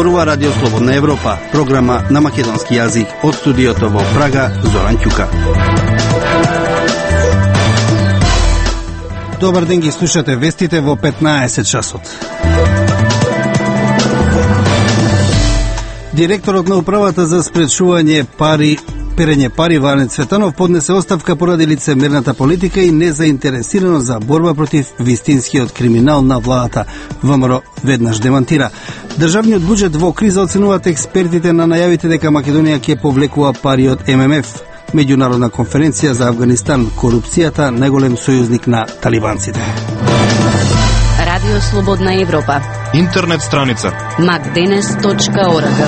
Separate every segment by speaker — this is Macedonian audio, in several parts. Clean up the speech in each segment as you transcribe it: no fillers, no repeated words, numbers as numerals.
Speaker 1: зборува Радио Слободна Европа, програма на македонски јазик од студиото во Прага, Зоран Ќука. Добар ден, ги слушате вестите во 15 часот. Директорот на управата за спречување перење пари Ване Цветанов поднесе оставка поради лицемерната политика и незаинтересираност за борба против вистинскиот криминал на владата. ВМРО веднаш демантира. Државниот буџет во криза, оценуваат експертите на најавите дека Македонија ќе повлекува пари од ММФ. Меѓународна конференција за Авганистан, корупцијата најголем сојузник на талибанците.
Speaker 2: Радио Слободна Европа.
Speaker 3: Интернет страница
Speaker 2: macdenes.org.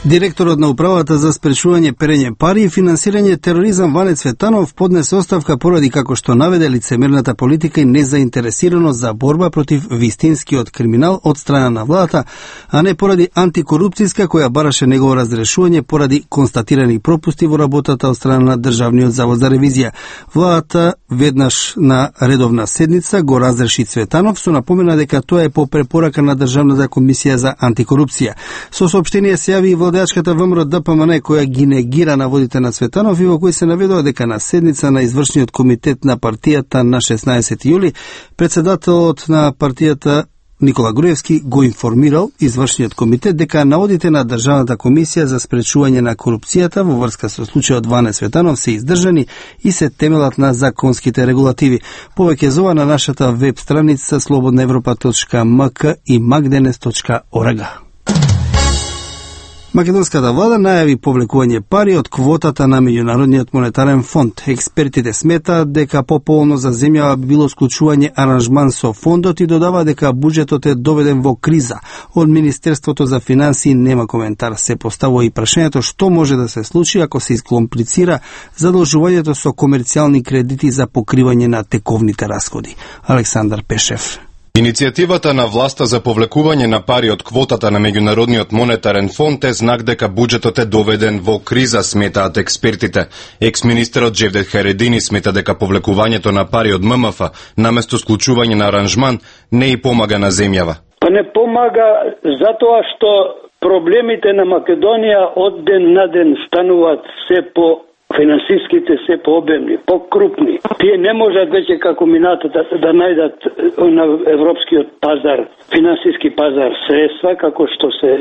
Speaker 1: Директорот на управата за спречување перење пари и финансирање тероризам Ване Цветанов поднесе оставка поради, како што наведе, лицемерната политика и незаинтересираност за борба против вистинскиот криминал од страна на владата, а не поради антикорупцијска која бараше негово разрешување поради констатирани пропусти во работата од страна на Државниот завод за ревизија. Владата веднаш на редовна седница го разреши Цветанов, со напомена дека тоа е по препорака на Државната комисија за антикорупција. Со соопштение се јави и владеачката ВМРО ДПМН која ги негира наводите на Цветанов и во кој се наведува дека на седница на извршниот комитет на партијата на 16 јули председателот на партијата Никола Груевски го информирал извршниот комитет дека наводите на Државната комисија за спречување на корупцијата во врска со случајот Ване Цветанов се издржани и се темелат на законските регулативи. Повеќе за ова на нашата веб страница slobodnaevropa.mk и macdenes.org. Македонската влада најави повлекување пари од квотата на Меѓународниот монетарен фонд. Експертите сметаат дека пополно за земјава би било склучување аранжман со фондот и додава дека буџетот е доведен во криза. Од Министерството за финансии нема коментар. Се поставува и прашањето што може да се случи ако се искомплицира задолжувањето со комерцијални кредити за покривање на тековните расходи. Александар Пешев.
Speaker 3: Иницијативата на власта за повлекување на пари од квотата на Меѓународниот монетарен фонд е знак дека буџетот е доведен во криза, сметаат експертите. Екс-министерот Джевдет Харедини смета дека повлекувањето на пари од ММФ наместо склучување на аранжман не и помага на земјава.
Speaker 4: Па не помага затоа што проблемите на Македонија од ден на ден стануваат се по финансиските се пообемни, покрупни. Тие не можат веќе како минатата да најдат на европскиот пазар, финансиски пазар средства, како што се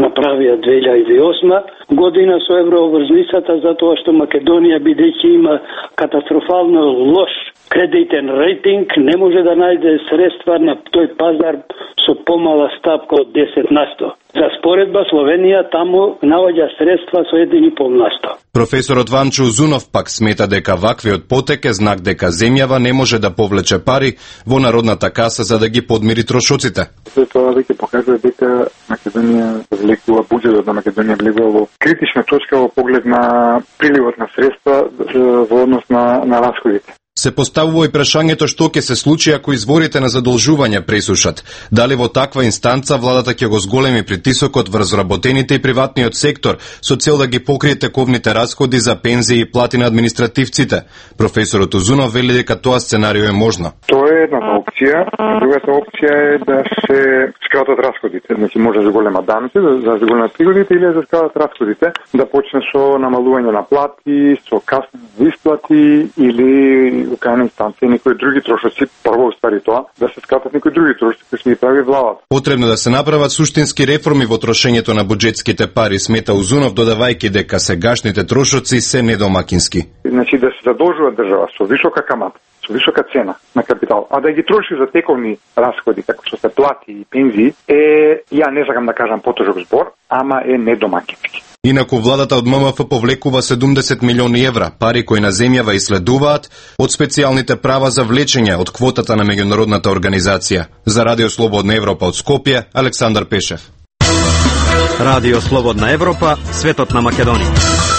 Speaker 4: направија 2008 година со еврообврзницата, затоа што Македонија, бидејќи има катастрофално лош кредитен рейтинг, не може да најде средства на тој пазар со помала стапка од 10%. За споредба, Словенија таму наоѓа средства со 1,5%.
Speaker 3: Професорот Ванчо Узунов пак смета дека ваквиот потек е знак дека земјава не може да повлече пари во народната каса за да ги подмири трошоците.
Speaker 5: Тоа веќе покажува дека Македонија влегува, буџетот на Македонија влегува во критична точка во поглед на приливот на средства во однос на расходите.
Speaker 3: Се поставува и прашањето што ќе се случи ако изворите на задолжување пресушат. Дали во таква инстанца владата ќе го зголеми притисокот врз работените и приватниот сектор со цел да ги покрие тековните расходи за пензии и плати на административците? Професорот Узунов вели дека тоа сценарио е можно.
Speaker 5: Тоа е едната опција. Другата опција е да се скратат расходите. Значи може да зголемат данъци, да зголемат приходите или да скратат расходите, да почне со намалување на плати, со касни исплати или во крајна инстанција некои други трошоци, прво уствари тоа, да се скратат некои други трошоци кои се ги прави владата.
Speaker 3: Потребно да се направат суштински реформи во трошењето на буџетските пари, смета Узунов, додавајќи дека сегашните трошоци се недомакински.
Speaker 5: Значи да се задолжува држава со висока камата, со висока цена на капитал, а да ги троши за тековни расходи, како што се плати и пензии, ја не сакам да кажам потежок збор, ама е недомакински.
Speaker 3: Инаку владата од ММФ повлекува 70 милиони евра, пари кои на земјава исследуваат од специјалните права за влечење од квотата на меѓународната организација. За Радио Слободна Европа од Скопје, Александар Пешев.
Speaker 6: Радио Слободна Европа, светот на Македонија.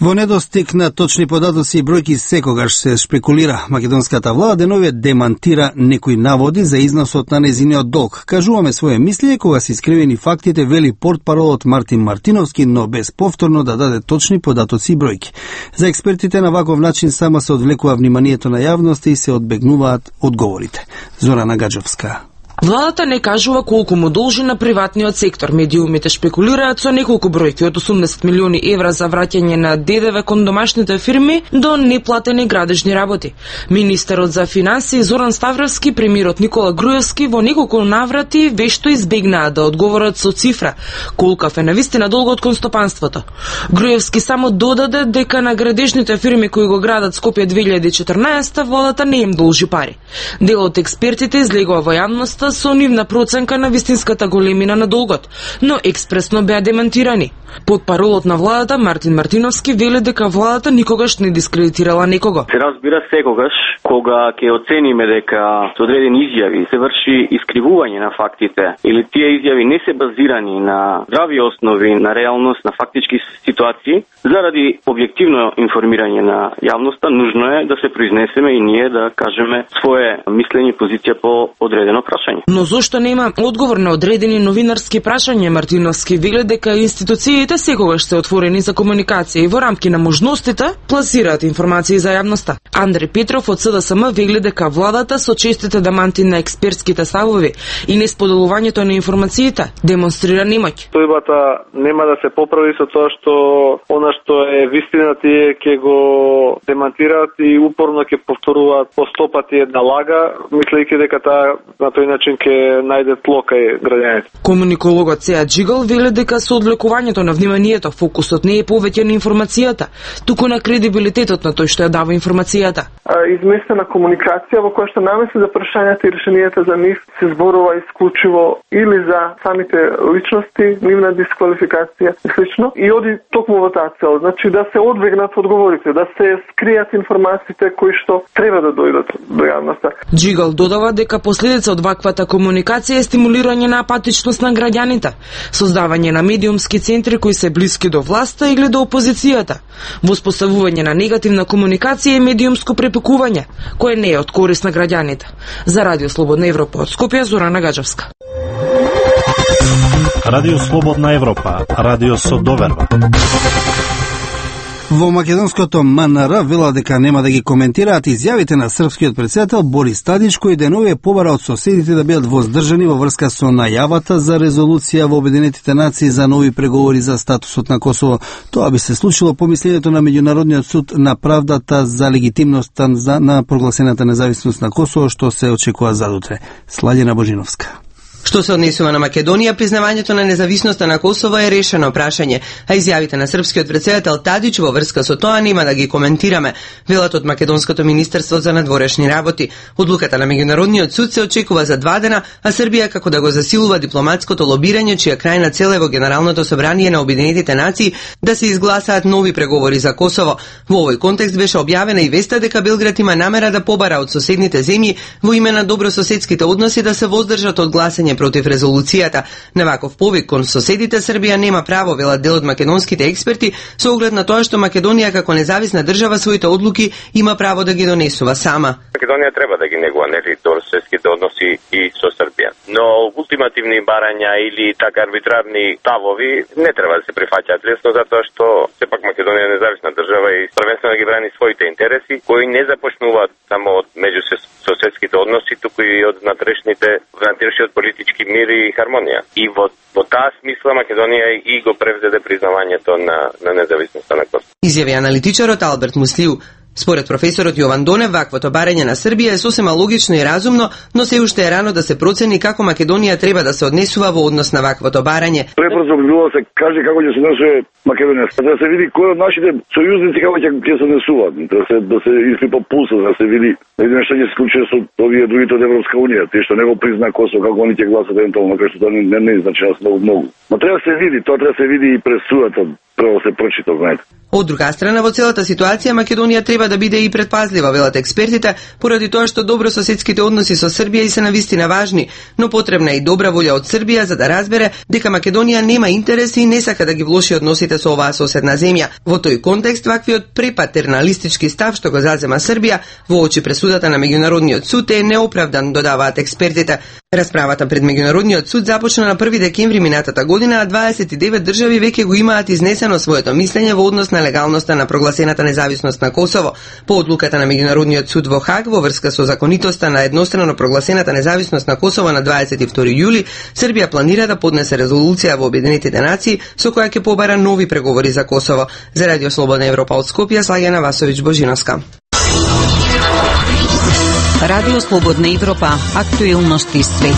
Speaker 1: Во недостиг на точни податоци и бројки секогаш се шпекулира. Македонската влада денове демантира некои наводи за износот на незиниот долг. Кажуваме своје мислење кога се искривени фактите, вели портпаролот Мартин Мартиновски, но без повторно да даде точни податоци и бројки. За експертите на ваков начин само се одвлекува вниманието на јавноста и се одбегнуваат одговорите. Зорана Гаджовска.
Speaker 7: Владата не кажува колку му должи на приватниот сектор. Медиумите шпекулираат со неколку бројки од 80 милиони евра за враќање на ДДВ кон домашните фирми до неплатени градежни работи. Министерот за финансии Зоран Ставровски, премиерот Никола Груевски во неколку наврати вешто избегнаа да одговорат со цифра колкав е навистина долгот кон стопанството. Груевски само додаде дека на градежните фирми кои го градат Скопје 2014 владата не им должи пари. Дел од експертите излегува во јавноста со нивна проценка на вистинската големина на долгот, но експресно беа демантирани. Потпаролот на владата Мартин Мартиновски вели дека владата никогаш не дискредитирала некого.
Speaker 8: Се разбира секогаш кога ќе оцениме дека со одредени изјави се врши искривување на фактите или тие изјави не се базирани на здрави основи, на реалност, на фактички ситуации, заради објективно информирање на јавноста, нужно е да се произнесеме и ние да кажеме свое мислење и позиција по одредено прашање.
Speaker 7: Но зошто нема одговор на одредени новинарски прашања? Мартиновски вели дека институциите секогаш се отворени за комуникација и во рамки на можностите пласираат информации за јавноста. Андре Петров од СДСМ вели дека владата со честите деманти на експертските ставови и несподелувањето на информациите демонстрира немоќ.
Speaker 9: Тојбата нема да се поправи со тоа што она што е вистина тие ќе го демантираат и упорно ќе повторуваат по 100 пати една лага, мислејќи дека таа на тој начин ќе најде тло кај граѓаните.
Speaker 7: Комуникологот Сеа Джигал вели дека со одвлекувањето на вниманието фокусот не е повеќе на информацијата, туку на кредибилитетот на тој што ја дава информацијата.
Speaker 9: Изместена комуникација во која што намеси за прашањата и решенијата за нив се зборува исклучиво или за самите личности, нивна дисквалификација и слично, и оди токму во таа цел, значи да се одбегнат одговорите, да се скријат информациите кои што треба да дојдат до јавноста.
Speaker 7: Джигал додава дека последица од ваквата комуникација е стимулирање на апатичност на граѓаните, создавање на медиумски центри кои се блиски до власта или до опозицијата, воспоставување на негативна комуникација и медиумско препекување, кое не е од корист на граѓаните. За Радио Слободна Европа од Скопје, Зорана Гаджевска.
Speaker 10: Радио Слободна Европа, радио со доверба.
Speaker 1: Во македонското МНР вела дека нема да ги коментираат изјавите на српскиот претседател Борис Тадич, кој денови побара од соседите да бидат воздржани во врска со најавата за резолуција во Обединетите нации за нови преговори за статусот на Косово. Тоа би се случило по мислењето на Меѓународниот суд на правдата за легитимноста на прогласената независност на Косово, што се очекува задутре. Сладена Божиновска.
Speaker 11: Што се однесува на Македонија, признавањето на независноста на Косово е решено прашање, а изјавите на српскиот претседател Тадич во врска со тоа нема да ги коментираме, велат од Македонското министерство за надворешни работи. Одлуката на Меѓународниот суд се очекува за 2 дена, а Србија како да го засилува дипломатското лобирање, чија крајна цел е во Генералното собрание на Обединетите нации да се изгласаат нови преговори за Косово. Во овој контекст беше објавена и веста дека Белград има намера да побара од соседните земји во име на добрососедските односи да се воздржат од гласање против резолуцијата. На ваков повик кон соседите Србија нема право, велат дел од македонските експерти, со оглед на тоа што Македонија како независна држава своите одлуки има право да ги донесува сама.
Speaker 12: Македонија треба да ги негува добрососедските односи и со Србија. Но ултимативни барања или така арбитрарни ставови не треба да се прифаќаат лесно, затоа што сепак Македонија е независна држава и првенствено ги брани своите интереси, кои не започнуваат само од меѓусоседските односи, туку и од внатрешниот политички мир и хармонија. И во таа смисла Македонија и го превзеде признавањето на независноста на Косово.
Speaker 11: Изјави аналитичарот Алберт Муслиу. Според професорот Јован Донев, ваквото барање на Србија е сосема логично и разумно, но се уште е рано да се процени како Македонија треба да се однесува во однос на ваквото барање.
Speaker 13: Пребрзо би било да се каже како ќе се однесува Македонија, да се види кој од нашите сојузници како ќе се однесуваат, да се испипа пулса, да се види што ќе се случи со овие другите од Европска унија, тие што не го призна Косово, како они ќе гласат евентуално, кај што тоа не значи многу. Но треба да се види, тоа треба да се види и през судата, прво се прочита, знаете.
Speaker 11: Од друга страна, во целата ситуација Македонија треба да биде и предпазлива, велат експертите, поради тоа што добрососедските односи со Србија и се навистина важни, но потребна е и добра волја од Србија за да разбере дека Македонија нема интереси и не сака да ги влоши односите со оваа соседна земја. Во тој контекст, ваквиот препатерналистички став што го зазема Србија во очи пресудата на Меѓународниот суд е неоправдан, додаваат експертите. Расправата пред Меѓународниот суд започна на 1 декември минатата година, а 29 држави веќе го имаат изнесено своето мислење во однос на на легалноста на прогласената независност на Косово. По одлуката на Меѓународниот суд во Хаг во врска со законитоста на еднострано прогласената независност на Косово на 22 јули, Србија планира да поднесе резолуција во Обединетите нации со која ќе побара нови преговори за Косово. За Радио Слободна Европа од Скопје, Слагена Васовиќ Божиновска.
Speaker 2: Радио Слободна Европа, актуелности свет.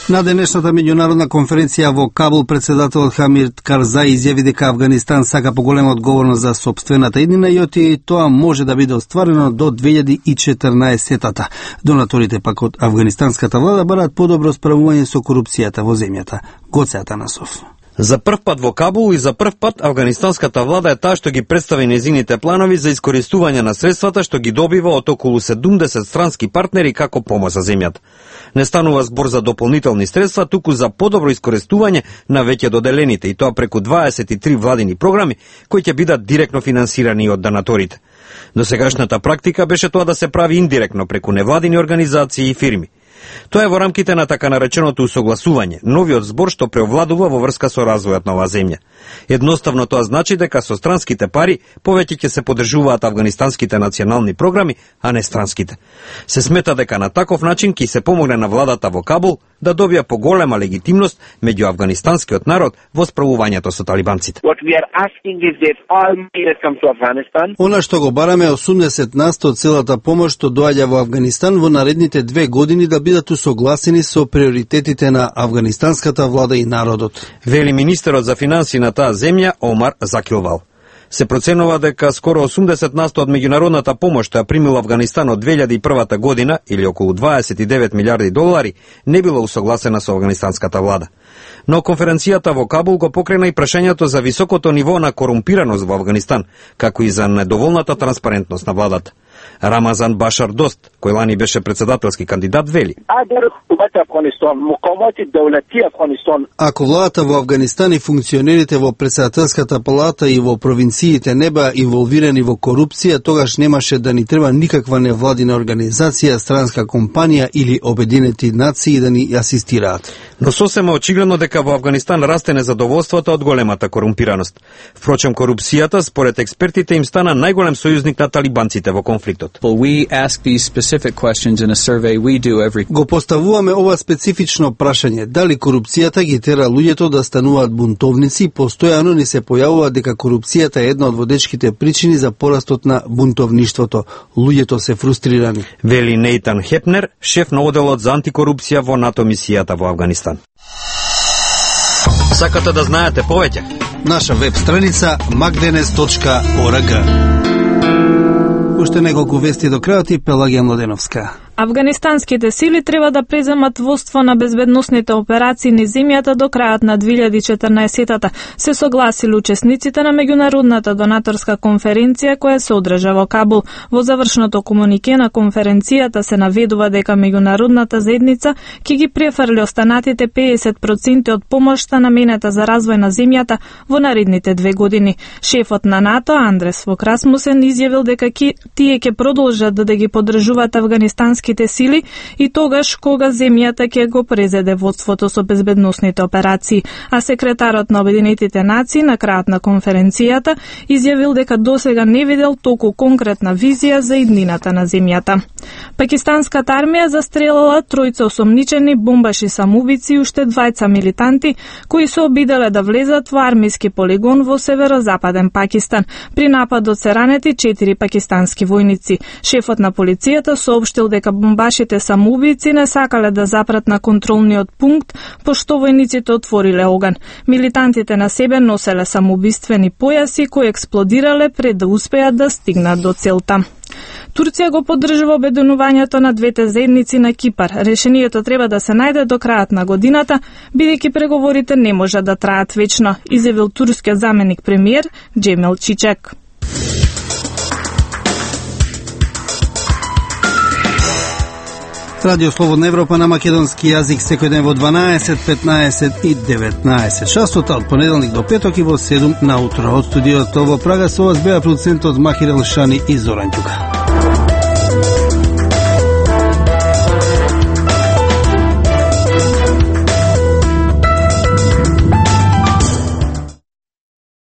Speaker 1: На денешната меѓународна конференција во Кабул, председателот Хамид Карзај изјави дека Афганистан сака поголема одговорност за сопствената иднина и тоа може да биде остварено до 2014-тата. Донаторите пак од афганистанската влада бараат подобро справување со корупцијата во земјата. Гоце Атанасов.
Speaker 6: За прв пат во Кабул и за прв пат афганистанската влада е таа што ги представи незините планови за искористување на средствата што ги добива од околу 70 странски партнери како помош за земјата. Не станува збор за дополнителни средства, туку за подобро искористување на веќе доделените, и тоа преку 23 владини програми кои ќе бидат директно финансирани од донаторите. Досегашната практика беше тоа да се прави индиректно преку невладини организации и фирми. Тоа е во рамките на така нареченото усогласување, новиот збор што преовладува во врска со развојот на оваа земја. Едноставно тоа значи дека со странските пари повеќе ќе се поддржуваат афганистанските национални програми, а не странските. Се смета дека на таков начин ќе се помогне на владата во Кабул да добија поголема легитимност меѓу афганистанскиот народ во справувањето со талибанците.
Speaker 1: Она што го бараме е 80% од целата помош што доаѓа во Афганистан во наредните 2 години да бидат усогласени со приоритетите на афганистанската влада и народот,
Speaker 6: вели министерот за финансии на таа земја Омар Закилвал. Се проценува дека скоро 80% од меѓународната помош што ја примил Афганистан од 2001 година, или околу 29 милиарди долари, не била усогласена со афганистанската влада. Но конференцијата во Кабул го покрена и прашањето за високото ниво на корумпираност во Афганистан, како и за недоволната транспарентност на владата. Рамазан Башар Дост, кој лани беше председателски кандидат, вели:
Speaker 1: ако владата во Афганистан и функционерите во председателската палата и во провинциите не беа инволвирани во корупција, тогаш немаше да ни треба никаква невладина организација, странска компанија или Обединети нации да ни асистираат.
Speaker 6: Но сосема очигледно дека во Афганистан расте незадоволството од големата корумпираност. Впрочем, корупцијата, според експертите, им стана најголем сојузник на талибанците во конфликтот.
Speaker 1: Го поставуваме ова специфично прашање, дали корупцијата ги тера луѓето да стануваат бунтовници. Постојано ни се појавува дека корупцијата е една од водечките причини за порастот на бунтовништвото. Луѓето се фрустрирани,
Speaker 6: вели Нейтан Хепнер, шеф на оделот за антикорупција во НАТО мисијата во Афганистан. Сакате да знаете повеќе?
Speaker 1: Наша веб страница magdenes.org. Уште неколку вести до крајот и Пелагија Младеновска.
Speaker 14: Афганистанските сили треба да преземат водство на безбедносните операции низ земјата до крајот на 2014-тата, се согласили учесниците на меѓународната донаторска конференција која се одржа во Кабул. Во завршното комунике на конференцијата се наведува дека меѓународната заедница ќе ги префрли останатите 50% од помошта наменета за развој на земјата во наредните 2 години. Шефот на НАТО Андрес Фок Расмусен изјавил дека тие ќе продолжат да ги поддржуваат афганистански сили и тогаш кога земјата ќе го презеде водството со безбедносните операции, а секретарот на Обединетите нации на крајот на конференцијата изјавил дека досега не видел толку конкретна визија за иднината на земјата. Пакистанската армија застрелила 3 осомничени бомбаши самоубици и уште 2 милитанти кои се обиделе да влезат во армиски полигон во северозападен Пакистан. При нападот се ранети 4 пакистански војници. Шефот на полицијата соопштил дека бомбашите самоубици не сакале да запрат на контролниот пункт, пошто војниците отвориле оган. Милитантите на себе носеле самоубиствени појаси кои експлодирале пред да успеат да стигнат до целта. Турција го поддржува обединувањето на двете заедници на Кипар. Решението треба да се најде до крајот на годината, бидејќи преговорите не можат да траат вечно, изјавил турскиот заменик премиер Джемел Чичек.
Speaker 1: Радио Слободна Европа на македонски јазик секој ден во 12, 15 и 19 часот, од понеделник до петок и во 7 наутро. Од студиото во Прага со вас беа продуцентот Махир Елшани и Зоран Ѓука.